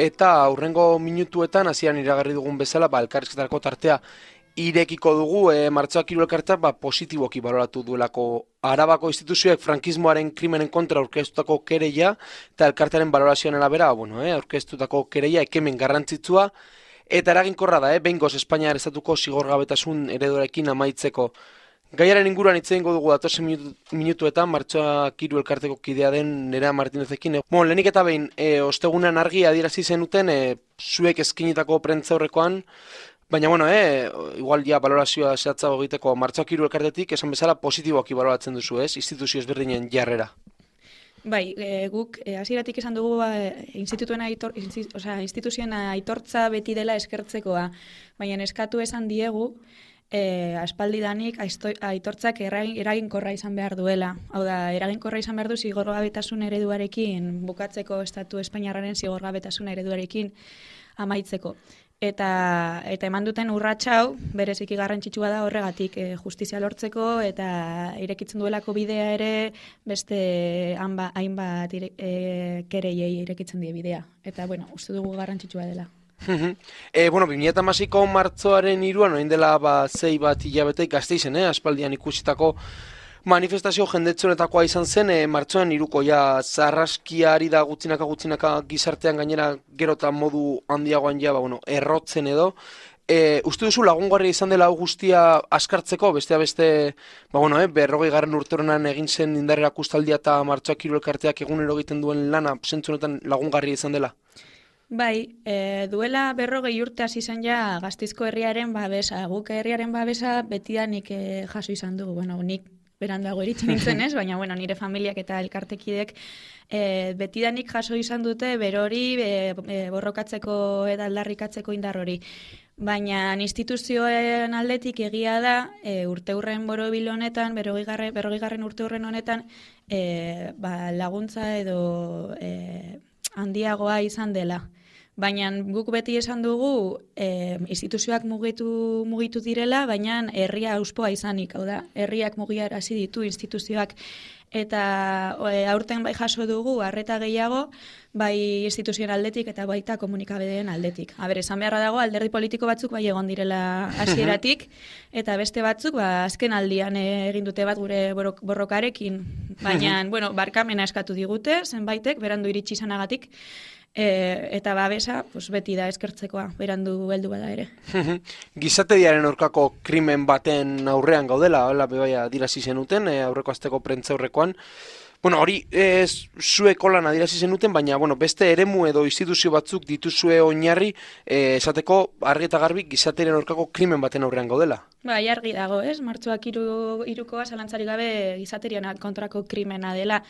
eta aurrengo minutuetan hasieran iragarri dugun bezala, elkarrizketarako tartea irekiko dugu, martxoak 3 elkartea positiboki baloratu duelako Arabako instituzioek frankismoaren krimenen kontra aurkeztutako kereia, eta elkartearen balorazioan arabera, aurkeztutako kereia ekemen garrantzitsua, eta eraginkorra da, behingoz Espainiar estatuko zigorgabetasun ereduarekin amaitzeko. Gaiaren inguruan hitz egingo dugu datozen minutuetan, martxoak 3 elkarteko kidea den Nerea Martinezekin. Lehenik eta behin, ostegunean argi adierazi zenuten, zuek eskinitako prentzaurrekoan, baina, igual ja balorazioa zehatzago egiteko martxoak 3 elkartetik, esan bezala positiboki baloratzen duzu, ez? Instituzio ezberdinen jarrera. Bai, guk hasieratik esan dugu instituzioen aitortza beti dela eskertzekoa, baina eskatu esan diegu, aspaldidanik aitortzak eraginkorra izan behar duela. Hau da, eraginkorra izan behar du zigorgabetasun ereduarekin, bukatzeko estatu espainiarraren zigorgabetasun ereduarekin amaitzeko. Eta eman duten urratsa hau, bereziki garrantzitsua da horregatik justizia lortzeko eta irekitzen duelako bidea ere beste hainbat kereiei irekitzen die bidea. Eta, uste dugu garrantzitsua dela. 2016ko martzoaren 3, orain dela 6 hilabete Gasteizen, aspaldian ikusitako manifestazio jendetsunetakoa izan zen, martxoan 3ko zarraskiari da gutxinaka gizartean gainera gero eta modu handiagoan errotzen edo. Uste duzu lagungarria izan dela guztia askartzeko, beste 40. urte honetan egin zen indarrera kustaldia eta martxoak 3 elkarteak egunero egiten duen lana zentzunetan lagungarria izan dela? Bai, duela 40 urte hasi zen ja Gasteizko herriaren babesa, guk herriaren babesa betidanik jaso izan dugu, nik beranduago iritsi nintzen ez, baina nire familiak eta elkartekidek betidanik jaso izan dute berori borrokatzeko eta aldarrikatzeko indar hori. Baina instituzioen aldetik egia da, urteurren borobil honetan, 40. urteurren honetan, laguntza edo handiagoa izan dela. Baina guk beti esan dugu instituzioak mugitu direla, baina herria auspoa izanik, hau da, herriak mugiarazi ditu instituzioak. Eta aurten bai jaso dugu, arreta gehiago, bai instituzioen aldetik eta baita komunikabideen aldetik. Esan beharra dago, alderdi politiko batzuk bai egon direla hasieratik, eta beste batzuk azken aldian egin dute bat gure borrokarekin. Baina, barkamena eskatu digute, zenbaitek, berandu iritsi izanagatik, eta babesa beti da eskertzekoa, berandu heldu bada ere. Gizatediaren aurkako krimen baten aurrean gaudela, adirazi zenuten, aurreko asteko prentzaurrekoan. Hori zueko lan adirazi zenuten, baina beste eremu edo instituzio batzuk dituzue oinarri esateko argi eta garbi gizatediaren aurkako krimen baten aurrean gaudela. Bai, argi dago, ez? Martxoak 3koa zalantzarik gabe gizaterian kontrako krimena dela.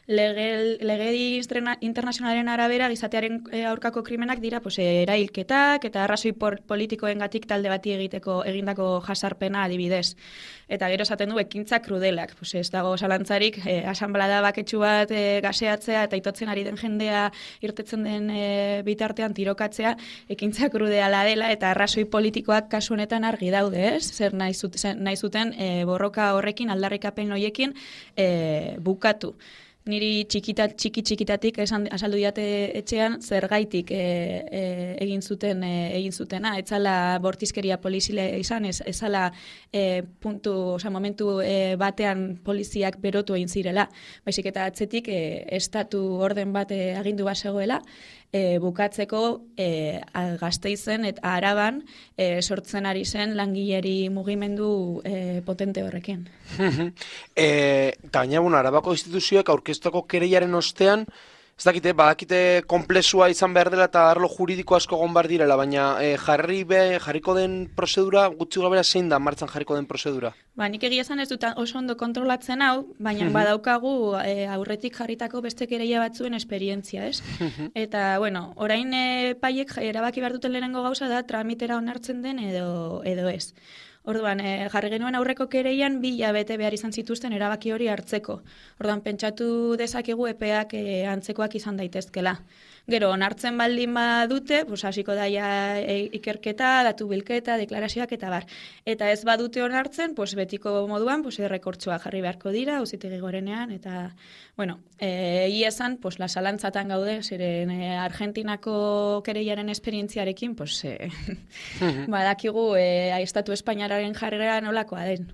Legedi internazionalen arabera gizatearen aurkako krimenak dira erailketak eta arrazoi politikoengatik talde bati egindako jasarpena adibidez. Eta gero esaten du ekintza krudelak. Ez dago zalantzarik, asanblada baketsu bat gaseatzea eta itotzen ari den jendea irtetzen den bitartean tirokatzea ekintza krudeala dela eta arrazoi politikoak kasu honetan argi daude, ez? Zer nahi zuten borroka horrekin, aldarrikapen horiekin bukatu. Niri txikitatik azaldu diate etxean zergaitik egin zutena, etzala bortizkeria polizile izan, ezala momentu batean poliziak berotu egin zirela, baizik eta atzetik estatu orden bat agindu bazegoela, bukatzeko Gasteizen eta Araban sortzen ari zen langileri mugimendu potente horrekin. Gaina, Arabako instituzioek aurkeztutako kereiaren ostean, ez dakite, badakite konplexua izan behar dela eta arlo juridiko asko egon behar direla, baina jarriko den prozedura, gutxi gabera zein da martxan jarriko den prozedura? Nik egia esan ez dut oso ondo kontrolatzen hau, baina badaukagu aurretik jarritako beste kereia batzuen esperientzia, ez? Eta, orain paiek erabaki behar duten lehenengo gauza da tramitera onartzen den edo ez. Orduan, jarri genuen aurreko kereian 2 hilabete behar izan zituzten erabaki hori hartzeko. Orduan, pentsatu dezakegu epeak antzekoak izan daitezkela. Gero, onartzen baldin badute, pues, hasiko daia ikerketa, datu bilketa, deklarazioak eta bar. Eta ez badute onartzen, pues, betiko moduan, pues, errekortzoa jarri beharko dira, auzitegi gorenean, eta, bueno, egia esan, pues, lasalantzatan gaude, zeren Argentinako kereiaren esperientziarekin, pues, badakigu, estatu espainararen jarrera nolakoa den.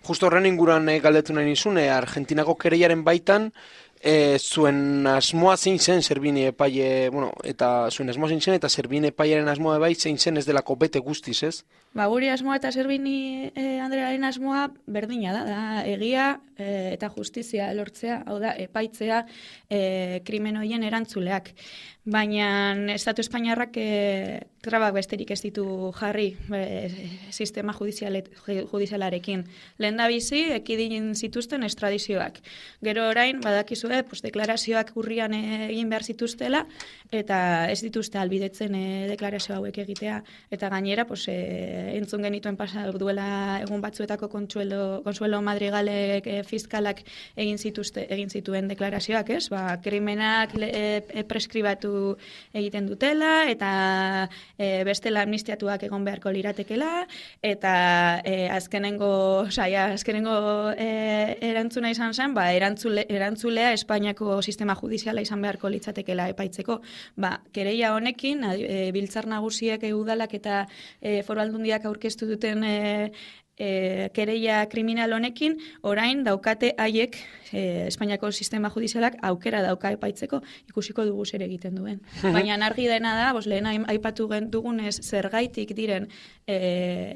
Justo horren inguruan galdetu nahi nizun, Argentinako kereiaren baitan, zuen asmoa zein zen Servini epaile, bueno, eta zuen asmoa zein zen, eta Servini epailearen asmoa bai zein zen ez delako bete guztiz, ez? Ba, guri asmoa eta Servini Andrearen asmoa berdina da egia eta justizia lortzea, hau da, epaitzea krimen horien erantzuleak. Baina Estatu Espainiarrak trabak besterik ez ditu jarri sistema judizialarekin. Lehen da bizi, ekidin zituzten estradizioak. Gero orain, badakizue, pues, deklarazioak urrian egin behar zituztela, eta ez dituzte albidetzen deklarazio hauek egitea. Eta gainera, pues, entzun genituen pasa duela egun batzuetako Consuelo Madrigalek fiskalak egin zituen deklarazioak, ez? Ba, krimenak preskribatu egiten dutela, eta bestela amnistiatuak egon beharko liratekela, eta azkenengo erantzuna izan zen, ba, erantzulea Espainiako sistema judiziala izan beharko litzatekela epaitzeko. Ba, kereia honekin, biltzar nagusiek udalak eta foru aldundiak aurkeztu duten kereia kriminal honekin, orain daukate haiek Espainiako sistema judizialak aukera dauka epaitzeko, ikusiko dugu zer egiten duen. Baina argi dena da, lehen aipatu dugunez zergaitik diren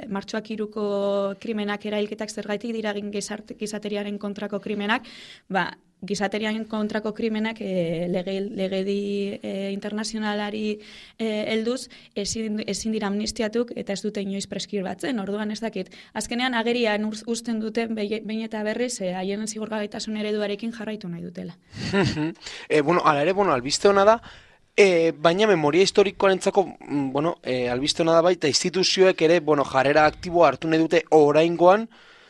martxoak 3ko krimenak, erailketak zergaitik dira gizateriaren kontrako krimenak, ba, gizateriaren kontrako krimenak legedi internazionalari helduz ezin dira amnistiatuk eta ez dute inoiz preskribatzen, orduan ez dakit. Azkenean agerian uzten duten behin eta berriz haien zigorgabetasun ereduarekin jarraitu nahi dutela. Hala ere, albiste hona da, baina memoria historikoarentzako, albiste hona da baita instituzioek ere, jarrera aktiboa hartu nahi dute oraingoan.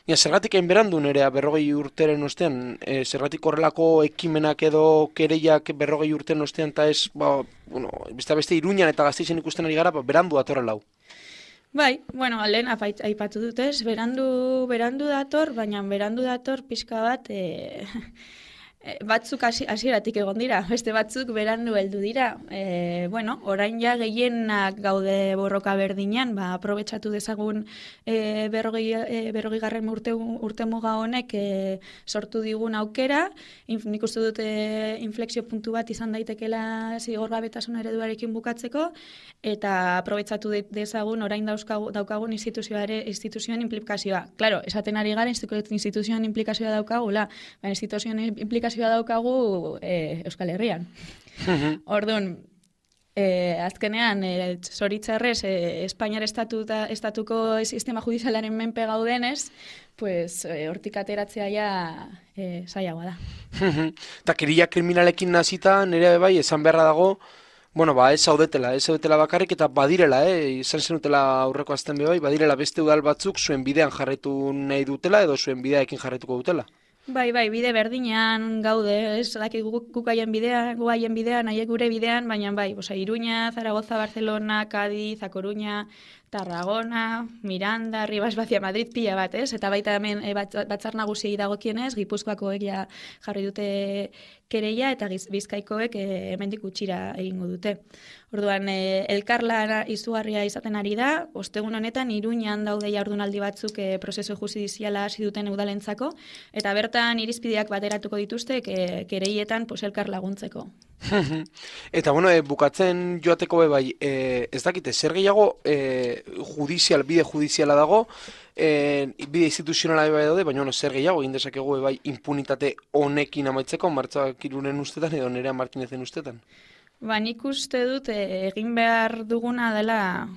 Zergatik hain berandu nerea 40 urteren ostean, zergatik horrelako ekimenak edo kereiak 40 urteren ostean, eta ez, beste Iruñan eta Gasteizen ikusten ari gara, berandu datorrela hau. Bai, lehen aipatu dutez, berandu dator, baina berandu dator pixka bat, batzuk hasieratik egon dira, beste batzuk berandu heldu dira. Orain ja gehienak gaude borroka berdinean, aprobetxatu dezagun 40. urte muga honek sortu digun aukera, nik uste dute inflexio puntu bat izan daitekela zigorgabetasun ereduarekin bukatzeko, eta aprobetxatu dezagun orain daukagun instituzioen implikazioa. Claro, esaten ari gara instituzioen implikazioa daukagula, baina instituzioen implikazioa daukagu Euskal Herrian. Orduan, azkenean, zoritzarrez, Espainiar estatuko sistema judizialaren menpe gaudenez, pues, hortik ateratzea ja zailagoa da. Eta keria kriminalekin nazita, nire bai, esan beharra dago, ez zaudetela bakarrik, eta badirela, izan zenutela aurreko azten bai, badirela beste udal batzuk zuen bidean jarraitu nahi dutela, edo zuen bideaekin jarraituko dutela. Bai, bide berdinean gaude, ez dakit guk haien bidean, haiek gure bidean, baina bai, Iruña, Zaragoza, Barcelona, Cádiz, A Coruña, Tarragona, Miranda, Ribas Bazia, Madrid pila bat, ez? Eta baita hemen batzar nagusiei dagokienez, Gipuzkoakoek ja jarri dute kereia eta Bizkaikoek hemendik gutxira egingo dute. Orduan, elkarlana izugarria izaten ari da, ostegun honetan Iruñan daude jardunaldi batzuk prozesu judiziala hasi duten udalentzako, eta bertan irizpideak bateratuko dituzte kereietan elkar laguntzeko. Eta bukatzen joateko bai, ez dakite, zer gehiago bide judiziala dago, bide instituzionala bai daude, baina zer gehiago egin dezakegu bai impunitate honekin amaitzeko, Martxoak 3 ustetan edo Nerea Martinezen ustetan? Nik uste dut egin behar duguna dela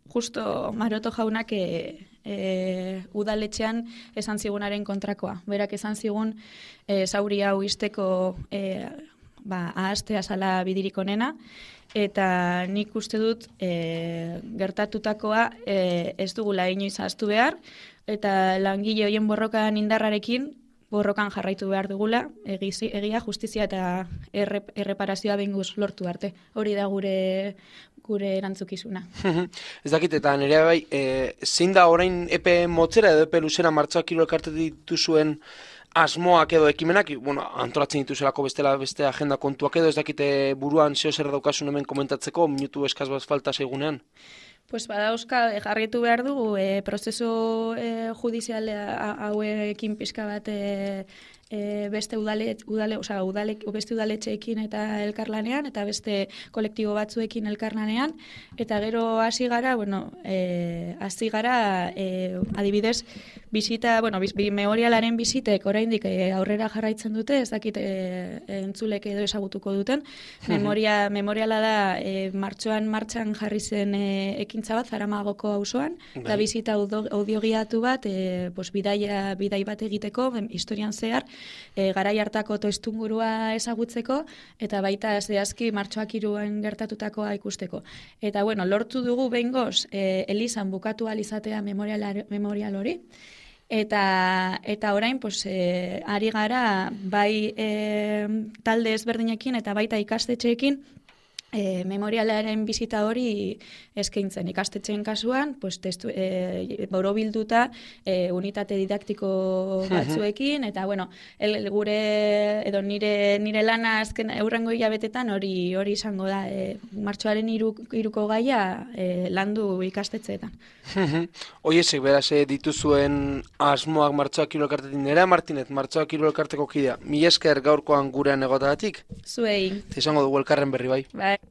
justo Maroto jaunak udaletxean esan zigunaren kontrakoa. Berak esan zigun zauri hau izteko ahastea zala bidirik onena, eta nik uste dut gertatutakoa ez dugula inoiz ahaztu behar, eta langile horien borrokan indarrarekin borrokan jarraitu behar dugula, egia, justizia eta erreparazioa behingoz lortu arte. Hori da gure erantzukizuna. Ez dakit, eta nire bai, zein da orain epe motzera edo epe luzera Martxoak Kirol Elkartetik dituzuen asmoak edo ekimenak, bueno, antolatzen dituzelako beste agenda kontuak edo, ez dakite buruan zeo zer daukasun hemen komentatzeko, minutu eskaz bat falta seigunean? Pues badauzka, jarraitu behar dugu, prozesu judizial hauekin pixka bat beste beste udaletxeekin eta elkarlanean, eta beste kolektibo batzuekin elkarlanean, eta gero hasi gara, adibidez, memorialaren bizitek oraindik aurrera jarraitzen dute, ez dakit entzulek edo ezagutuko duten. Memoriala da martxan jarri zen ekintza bat Zaramagoko auzoan, eta bizita audiogiatu bat, bidai bat egiteko, historian zehar, garai hartako toistungurua ezagutzeko, eta baita zehazki Martxoak 3 gertatutakoa ikusteko. Eta lortu dugu behingoz elizan bukatu alizatea memorial hori, eta orain ari gara bai talde ezberdinekin eta baita ikastetxeekin memorialaren bizita hori eskaintzen. Ikastetxeen kasuan, borobilduta unitate didaktiko batzuekin, eta nire lana azken aurrengo hilabetetan hori izango da, martxoaren 3ko gaia landu ikastetxeetan. Oiesek, beraz, dituzuen asmoak Martxoak Kirol Elkartetik, Nerea Martinez, Martxoak Kirol Elkarteko kidea, mila esker gaurkoan gurean egotagatik? Zuei. Izango dugu elkarren berri bai.